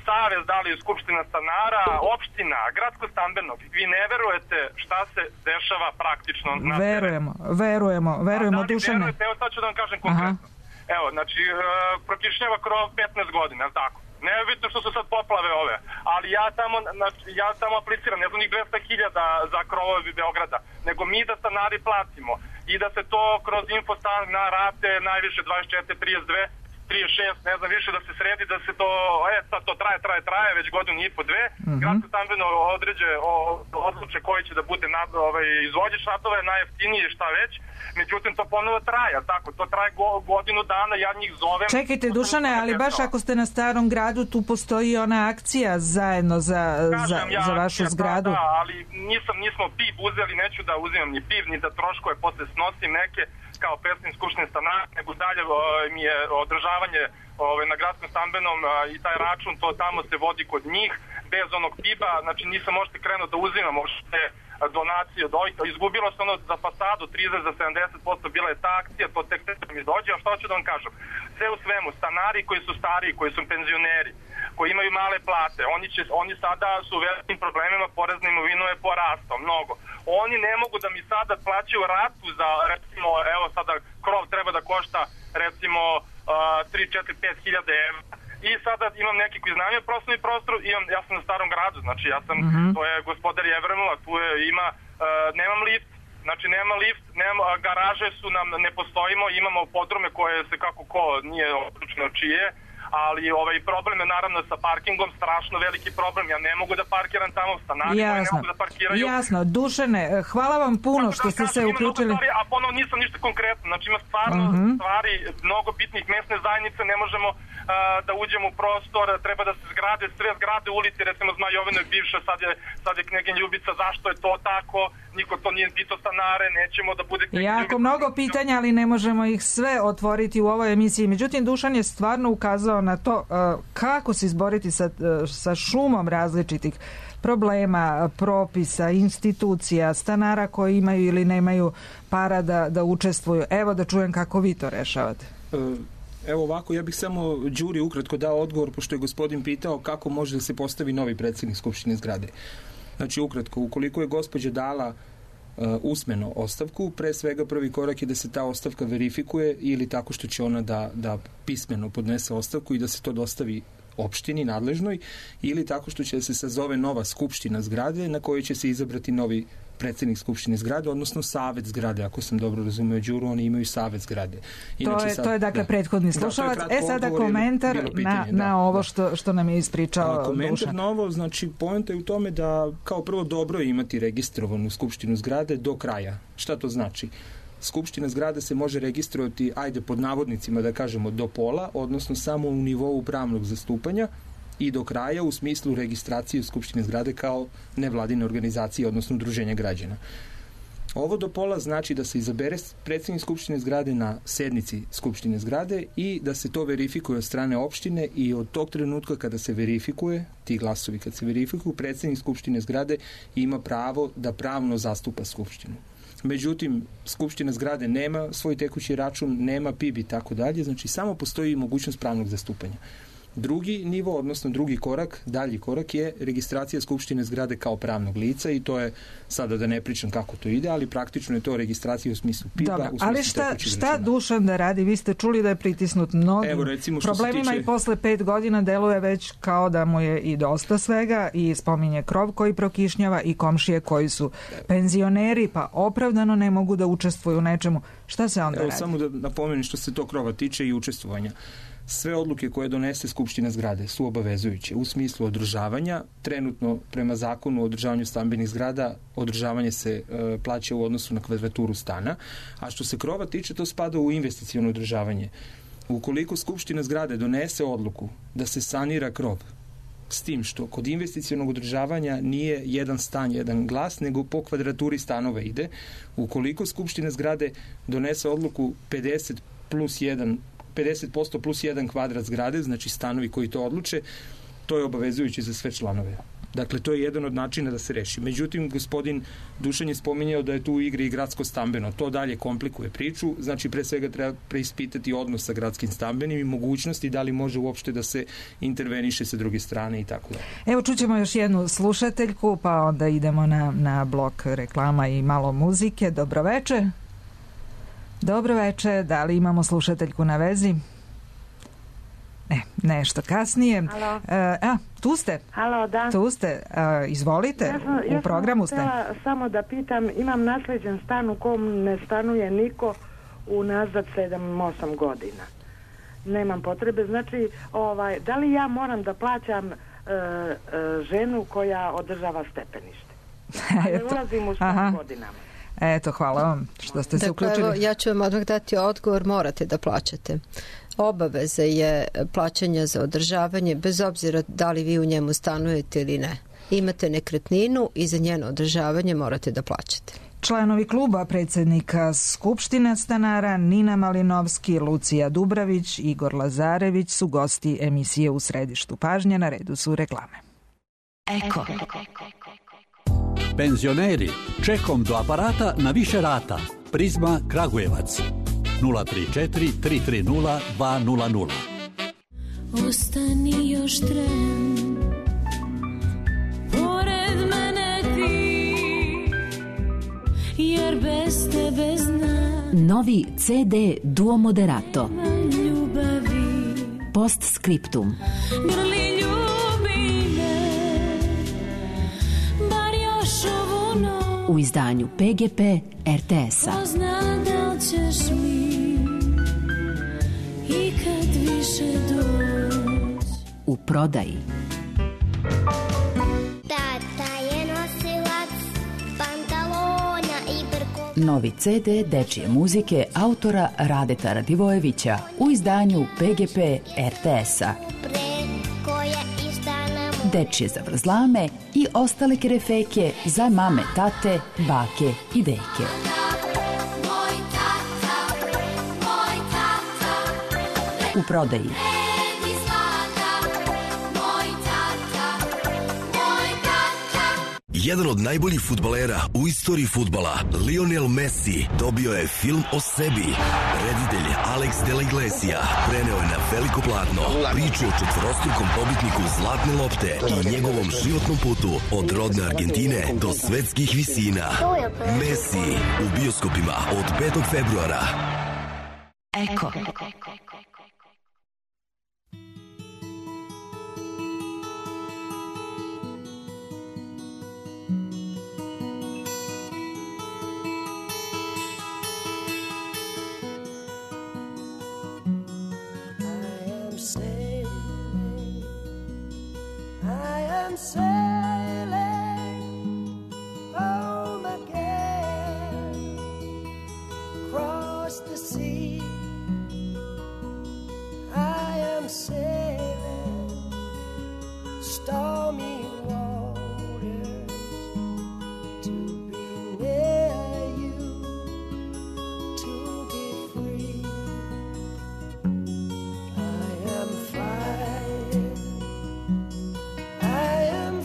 savez, da li Skupština stanara, opština, gradsko stambeno, vi ne verujete šta se dešava praktično na verujemo Dušane. Evo sad ću da vam kažem konkretno. Evo, znači, prokišnjava krov 15 godina, je li tako? Ne je bitno što su sad poplave ove, ali ja tamo apliciram, ne znam njih 200.000 za krovove Beograda, nego mi da stanari platimo i da se to kroz infostan na rate najviše 24, 32, 36, ne znam više, da se sredi, da se to, sad to traje već godinu i po, dve, gradsko stambeno odluče koji će da bude izvođač radova, najjeftiniji, šta već, međutim to ponovo traje, tako, to traje godinu dana, ja njih zovem. Čekajte Dušane, ali baš ako ste na Starom gradu, tu postoji ona akcija zajedno za vašu zgradu. Da, ali nismo PIB uzeli, neću da uzimam ni PIB, ni da troškove posle snosim neke, kao predsjednik Skupštine stanara, nego dalje mi je održavanje na gradskom stambenom i taj račun, to tamo se vodi kod njih, bez onog PIB-a, znači nisam možete krenuo da uzimam, možete donacije od ovih, izgubilo se ono za fasadu 30 za 70%, bila je ta akcija, to tek mi dođe, a što ću da vam kažem? Sve u svemu, stanari koji su stariji, koji su penzioneri, koji imaju male plate, oni sada su u velikim problemima, porez na imovinu je porastao mnogo. Oni ne mogu da mi sada plaćaju ratu za, recimo, evo sada krov treba da košta, recimo, 3, 4, 5 hiljada evra. I sada imam neki koji iznajmio prostorni prostor, ja sam na Starom gradu, znači ja sam, to je gospodar Jevrenula, tu nemam lift, znači nema lift, garaže su nam, ne postojimo, imamo podrume koje se kako ko nije odlučno čije, ali problem je naravno sa parkingom, strašno veliki problem, ja ne mogu da parkiram tamo, stanari koji ne mogu da parkiraju. Jasno, Dušane, hvala vam puno što ste se uključili. A ponovno nisam ništa konkretno, znači ima stvarno stvari, mnogo bitnih, mesne zajednice, ne možemo da uđemo u prostor, treba da se zgrade, sve zgrade ulici, recimo Zmajovino je bivša, sad je Knegin Ljubica, zašto je to tako, niko to nije pitao stanare, nećemo da bude Knegin Ljubica. Jako mnogo pitanja, ali ne možemo ih sve otvoriti u ovoj emisiji. Međutim, Dušan je stvarno ukazao na to kako se izboriti sa šumom različitih problema, propisa, institucija, stanara koji imaju ili nemaju para da učestvuju. Evo da čujem kako vi to rešavate. Evo ovako, ja bih samo Đuri ukratko dao odgovor, pošto je gospodin pitao kako može da se postavi novi predsjednik Skupštine zgrade. Znači ukratko, ukoliko je gospođa dala usmeno ostavku, pre svega prvi korak je da se ta ostavka verifikuje ili tako što će ona da pismeno podnese ostavku i da se to dostavi opštini nadležnoj ili tako što će da se sazove nova skupština zgrade na kojoj će se izabrati novi predsjednik skupštine zgrade, odnosno savet zgrade, ako sam dobro razumeo Đuru, oni imaju savet zgrade. Inače, to je dakle prethodni slušalac. Sada komentar na ovo što nam je ispričao Dušan. Komentar na ovo, znači poenta je u tome da kao prvo dobro je imati registrovanu skupštinu zgrade do kraja. Šta to znači? Skupština zgrade se može registrovati, ajde pod navodnicima da kažemo do pola, odnosno samo u nivou pravnog zastupanja i do kraja u smislu registracije Skupštine zgrade kao nevladine organizacije, odnosno udruženja građana. Ovo do pola znači da se izabere predsjednik Skupštine zgrade na sednici Skupštine zgrade i da se to verifikuje od strane opštine i od tog trenutka kada se verifikuje, ti glasovi kad se verifikuju, predsjednik Skupštine zgrade ima pravo da pravno zastupa Skupštinu. Međutim, Skupština zgrade nema svoj tekući račun, nema PIB i tako dalje, znači samo postoji mogućnost pravnog zastupanja. Drugi nivo, odnosno drugi korak, dalji korak je registracija Skupštine zgrade kao pravnog lica i to je, sada da ne pričam kako to ide, ali praktično je to registracija u smislu PIB-a. Dobro, ali šta Dušan da radi? Vi ste čuli da je pritisnut mnogim problemima i posle 5 godina deluje već kao da mu je i dosta svega i spominje krov koji prokišnjava i komšije koji su penzioneri pa opravdano ne mogu da učestvuju u nečemu. Šta se onda radi? Samo da napomenem što se to krova tiče i učestvovanja. Sve odluke koje donese Skupština zgrade su obavezujuće u smislu održavanja. Trenutno, prema zakonu o održavanju stambenih zgrada, održavanje se plaća u odnosu na kvadraturu stana, a što se krova tiče, to spada u investiciono održavanje. Ukoliko Skupština zgrade donese odluku da se sanira krov, s tim što kod investicionog održavanja nije jedan stan, jedan glas, nego po kvadraturi stanova ide. Ukoliko Skupština zgrade donese odluku 50% plus 1 kvadrat zgrade, znači stanovi koji to odluče, to je obavezujuće za sve članove. Dakle, to je jedan od načina da se reši. Međutim, gospodin Dušan je spominjao da je tu u igri i gradsko stambeno. To dalje komplikuje priču. Znači, pre svega treba preispitati odnos sa gradskim stambenim i mogućnosti da li može uopšte da se interveniše sa druge strane i tako da. Evo, čućemo još jednu slušateljku, pa onda idemo na blok reklama i malo muzike. Dobroveče. Dobroveče, da li imamo slušateljku na vezi? Ne, nešto kasnije. Halo. Tu ste? Halo, da. Tu ste, izvolite, u programu ste. Ja sam samo da pitam, imam nasleđen stan u kom ne stanuje niko unazad 7-8 godina. Nemam potrebe, znači, da li ja moram da plaćam ženu koja održava stepenište? Ne ulazim u 100 godinama. Eto, hvala vam što ste se uključili. Evo, ja ću vam odmah dati odgovor, morate da plaćate. Obaveza je plaćanja za održavanje, bez obzira da li vi u njemu stanujete ili ne. Imate nekretninu i za njeno održavanje morate da plaćate. Članovi kluba predsjednika Skupštine stanara Nina Malinovski, Lucija Dubravić, Igor Lazarević su gosti emisije U središtu pažnje, na redu su reklame. Eko. Penzioneri, čekom do aparata na više rata. Prizma Kragujevac 034 330 200. Ostani još tren, pored mene ti, jer bez tebe znam. Novi CD Duo Moderato. Ljubavi. Postscriptum. Grli ljubi me, bar još ovu noć. U izdanju PGP RTS-a. Ko zna da li ćeš mi ikad više doći. U prodaji. Tata je nosilac pantalona i brko. Novi CD dečije muzike autora Radeta Radivojevića u izdanju PGP RTS-a. Dečije zavrzlame i ostale kerefeke za mame, tate, bake i deke. U prodaji. Jedan od najboljih fudbalera u istoriji fudbala, Lionel Messi, dobio je film o sebi. Reditelj Alex de la Iglesia preneo je na veliko platno priču o četvorostrukom pobitniku Zlatne lopte i njegovom životnom putu od rodne Argentine do svetskih visina. Messi u bioskopima od 5. februara. Eko. Sailing home again, across the sea. I am sailing stormy waters to be near you, to be free. I am flying. I am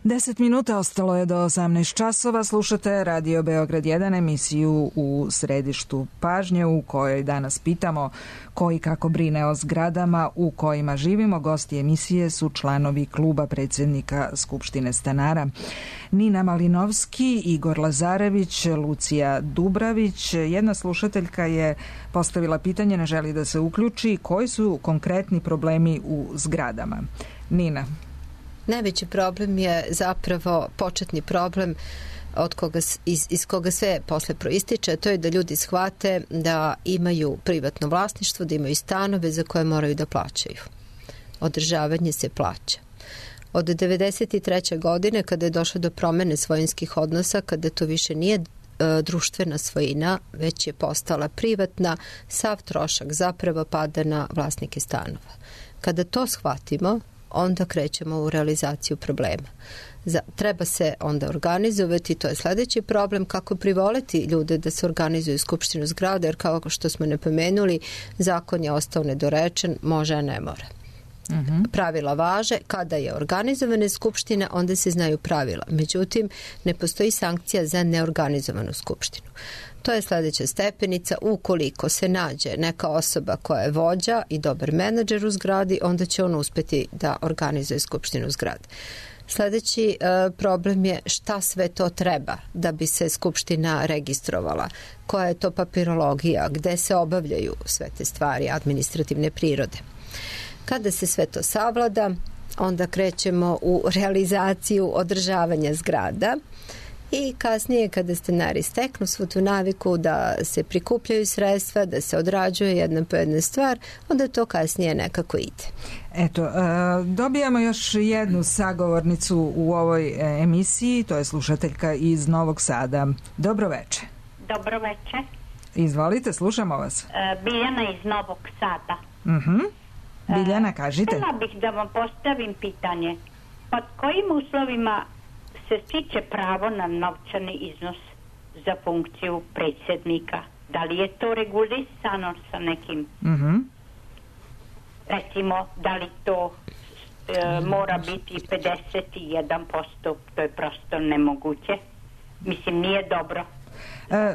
10 minuta ostalo je do 18 časova. Slušate Radio Beograd 1, emisiju u središtu pažnje u kojoj danas pitamo ko i kako brine o zgradama u kojima živimo. Gosti emisije su članovi kluba predsjednika Skupštine stanara. Nina Malinovski, Igor Lazarević, Lucija Dubravić. Jedna slušateljka je postavila pitanje, ne želi da se uključi. Koji su konkretni problemi u zgradama? Nina. Najveći problem je zapravo početni problem iz koga sve posle proističe, to je da ljudi shvate da imaju privatno vlasništvo, da imaju stanove za koje moraju da plaćaju. Održavanje se plaća. Od 1993. godine, kada je došlo do promene svojinskih odnosa, kada to više nije društvena svojina, već je postala privatna, sav trošak zapravo pada na vlasnike stanova. Kada to shvatimo, onda krećemo u realizaciju problema. Treba se onda organizovati, to je sljedeći problem, kako privoleti ljude da se organizuju skupštinu zgrada, jer kao što smo napomenuli, zakon je ostao nedorečen, može, a ne mora. Pravila važe, kada je organizovana skupština, onda se znaju pravila. Međutim, ne postoji sankcija za neorganizovanu skupštinu. To je sljedeća stepenica. Ukoliko se nađe neka osoba koja je vođa i dobar menadžer u zgradi, onda će on uspjeti da organizuje skupštinu zgrade. Sljedeći problem je šta sve to treba da bi se skupština registrovala, koja je to papirologija, gde se obavljaju sve te stvari administrativne prirode. Kada se sve to savlada, onda krećemo u realizaciju održavanja zgrada i kasnije kada stanari steknu svu tu naviku da se prikupljaju sredstva, da se odrađuje jedna po jedna stvar, onda to kasnije nekako ide. Eto, dobijamo još jednu sagovornicu u ovoj emisiji, to je slušateljka iz Novog Sada. Dobro veče. Dobro veče. Izvolite, slušamo vas. Biljana iz Novog Sada. Biljana, kažite. Htjela bih da vam postavim pitanje. Pod kojim uslovima se stiče pravo na novčani iznos za funkciju predsjednika? Da li je to regulisano sa nekim? Recimo, da li to mora biti 51%? To je prosto nemoguće. Mislim, nije dobro.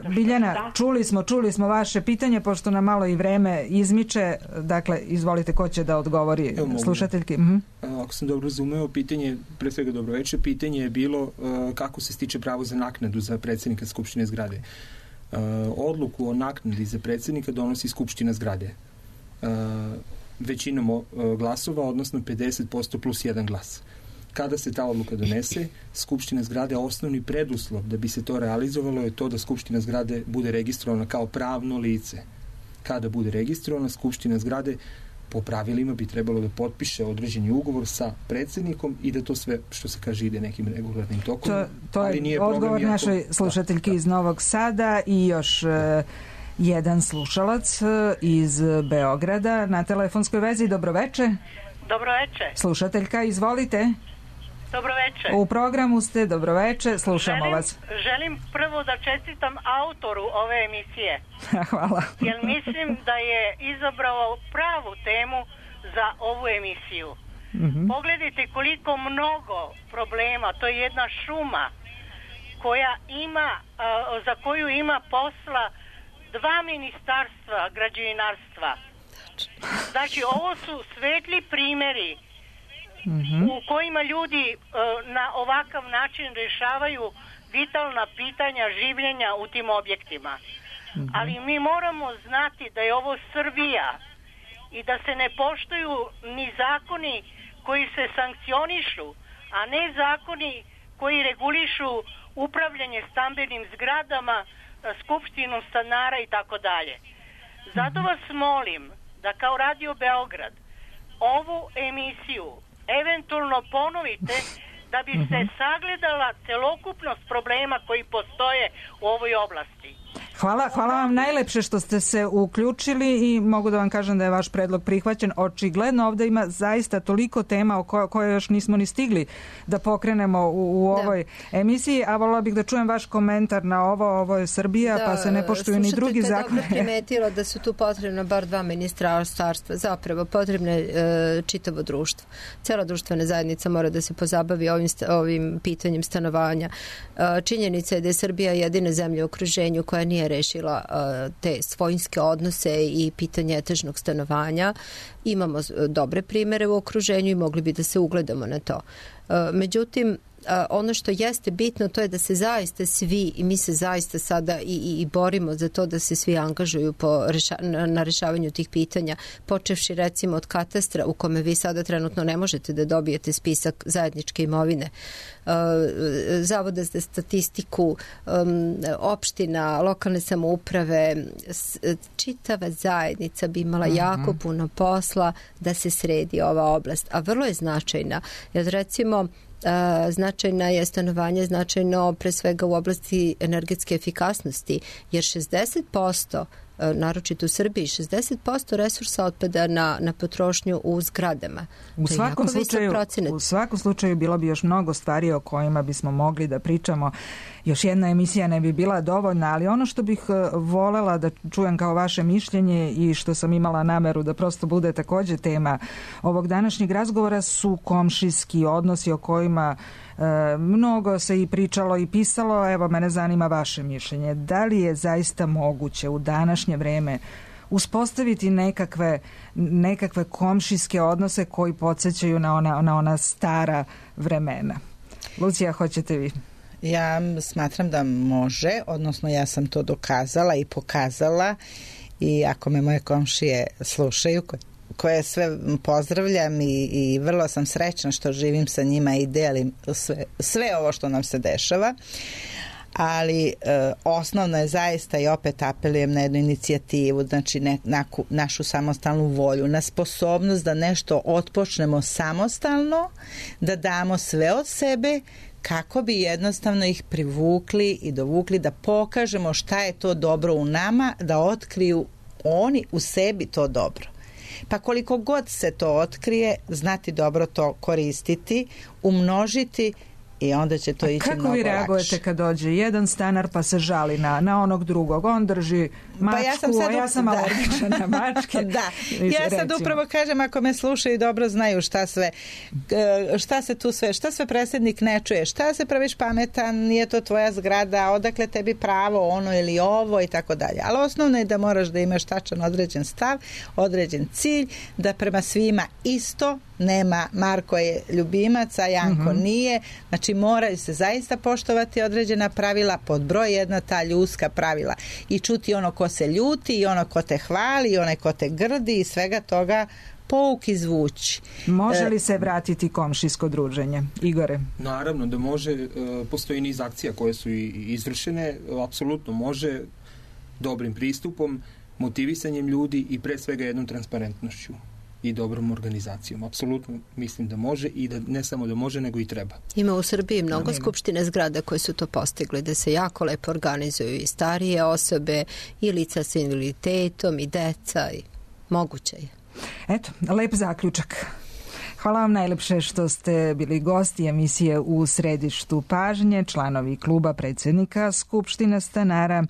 Biljana, čuli smo vaše pitanje, pošto nam malo i vreme izmiče. Dakle, izvolite, ko će da odgovori slušateljki? Ako sam dobro razumeo, pitanje, pre svega dobro veče, pitanje je bilo kako se stiče pravo za naknadu za predsjednika Skupštine zgrade. Odluku o naknadi za predsjednika donosi Skupština zgrade. Većinom glasova, odnosno 50% plus 1 glas. Kada se ta odluka donese, Skupština zgrade, osnovni preduslov da bi se to realizovalo je to da Skupština zgrade bude registrovana kao pravno lice. Kada bude registrovana, Skupština zgrade po pravilima bi trebalo da potpiše određeni ugovor sa predsjednikom i da to sve, što se kaže, ide nekim regularnim tokom. To je odgovor našoj slušateljki iz Novog Sada i još jedan slušalac iz Beograda na telefonskoj vezi. Dobro veče. Dobro veče. Slušateljka, izvolite. Dobro veče. U programu ste, dobro veče, slušamo vas. Želim prvo da čestitam autoru ove emisije. Hvala. Jer mislim da je izabrao pravu temu za ovu emisiju. Pogledajte koliko mnogo problema, to je jedna šuma koja ima, za koju ima posla 2 ministarstva građevinarstva. Znači, ovo su svetli primjeri u kojima ljudi na ovakav način rješavaju vitalna pitanja življenja u tim objektima. Ali mi moramo znati da je ovo Srbija i da se ne poštuju ni zakoni koji se sankcionišu, a ne zakoni koji regulišu upravljanje stambenim zgradama, skupštinom stanara i tako dalje. Zato vas molim da kao Radio Beograd ovu emisiju eventualno ponovite da bi se sagledala celokupnost problema koji postoje u ovoj oblasti. Hvala vam najlepše što ste se uključili i mogu da vam kažem da je vaš predlog prihvaćen. Očigledno ovdje ima zaista toliko tema o koje još nismo ni stigli da pokrenemo u ovoj emisiji, a volila bih da čujem vaš komentar na ovo je Srbija, pa se ne poštuju ni drugi zakoni. Dobro primetilo da su tu potrebno bar 2 ministarstva, zapravo potrebno je čitavo društvo. Cela društvena zajednica mora da se pozabavi ovim pitanjem stanovanja. Činjenica je da je Srbija jedina zemlja u okruženju koja nije rešila te svojinske odnose i pitanje etažnog stanovanja. Imamo dobre primere u okruženju i mogli bi da se ugledamo na to. Međutim, ono što jeste bitno to je da se zaista svi, i mi se zaista sada i borimo za to da se svi angažuju na rešavanju tih pitanja, počevši recimo od katastra u kome vi sada trenutno ne možete da dobijete spisak zajedničke imovine, Zavoda za statistiku, opština, lokalne samouprave, čitava zajednica bi imala jako puno posla da se sredi ova oblast, a vrlo je značajna, jer recimo značajna je stanovanje, značajno pre svega u oblasti energetske efikasnosti, jer 60%, naročito u Srbiji, 60% resursa otpada na potrošnju u zgradama. U svakom slučaju bilo bi još mnogo stvari o kojima bismo mogli da pričamo. Još jedna emisija ne bi bila dovoljna, ali ono što bih volela da čujem kao vaše mišljenje i što sam imala nameru da prosto bude također tema ovog današnjeg razgovora su komšijski odnosi o kojima mnogo se i pričalo i pisalo. Evo, mene zanima vaše mišljenje. Da li je zaista moguće u današnje vreme uspostaviti nekakve komšijske odnose koji podsjećaju na ona stara vremena? Lucija, hoćete vi? Ja smatram da može, odnosno ja sam to dokazala i pokazala i ako me moje komšije slušaju, koje sve pozdravljam i vrlo sam srećna što živim sa njima i delim sve ovo što nam se dešava, ali osnovno je zaista, i opet apelujem na jednu inicijativu, znači našu samostalnu volju, na sposobnost da nešto otpočnemo samostalno, da damo sve od sebe kako bi jednostavno ih privukli i dovukli, da pokažemo šta je to dobro u nama, da otkriju oni u sebi to dobro. Pa koliko god se to otkrije, znati dobro to koristiti, umnožiti i onda će to ići mnogo lakše. Kako vi reagujete kad dođe jedan stanar pa se žali na onog drugog? On drži mačku, ja sam alergična na mačke. Da, ja sad upravo kažem, ako me slušaju dobro znaju šta sve predsjednik ne čuje, šta se praviš pametan, nije to tvoja zgrada, odakle tebi pravo ono ili ovo i tako dalje. Ali osnovno je da moraš da imaš tačan određen stav, određen cilj, da prema svima isto, nema Marko je ljubimac, a Janko nije. Znači moraju se zaista poštovati određena pravila, pod broj 1 ta ljudska pravila i čuti ono ko se ljuti i ono ko te hvali i onaj ko te grdi i svega toga pouk izvući. Može li se vratiti komšijsko druženje? Igore? Naravno da može, postoji niz akcija koje su izvršene, apsolutno može, dobrim pristupom, motivisanjem ljudi i pre svega jednom transparentnošću i dobrom organizacijom. Apsolutno mislim da može i da ne samo da može, nego i treba. Ima u Srbiji mnogo skupštine zgrada koje su to postigli, da se jako lepo organizuju i starije osobe i lica sa invaliditetom i deca i moguće je. Eto, lep zaključak. Hvala vam najlepše što ste bili gosti emisije U središtu pažnje, članovi kluba predsjednika Skupštine stanara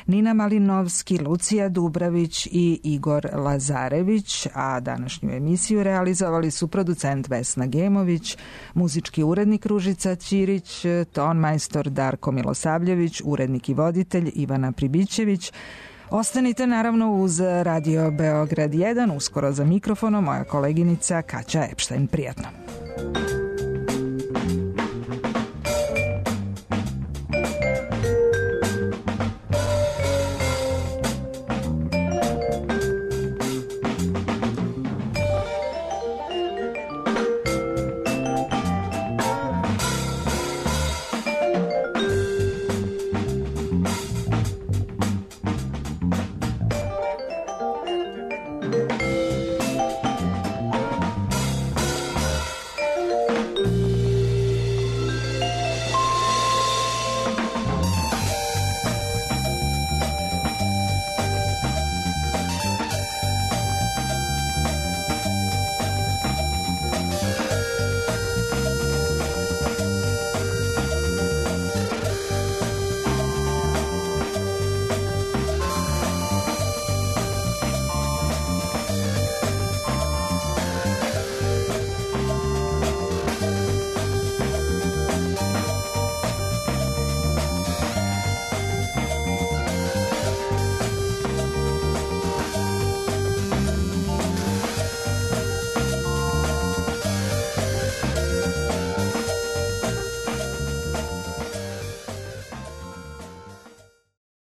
Nina Malinovski, Lucija Dubravić i Igor Lazarević, a današnju emisiju realizovali su producent Vesna Gemović, muzički urednik Ružica Ćirić, ton majstor Darko Milosavljević, urednik i voditelj Ivana Pribićević. Ostanite naravno uz Radio Beograd 1, uskoro za mikrofonom moja koleginica Kaća Epštajn. Prijatno.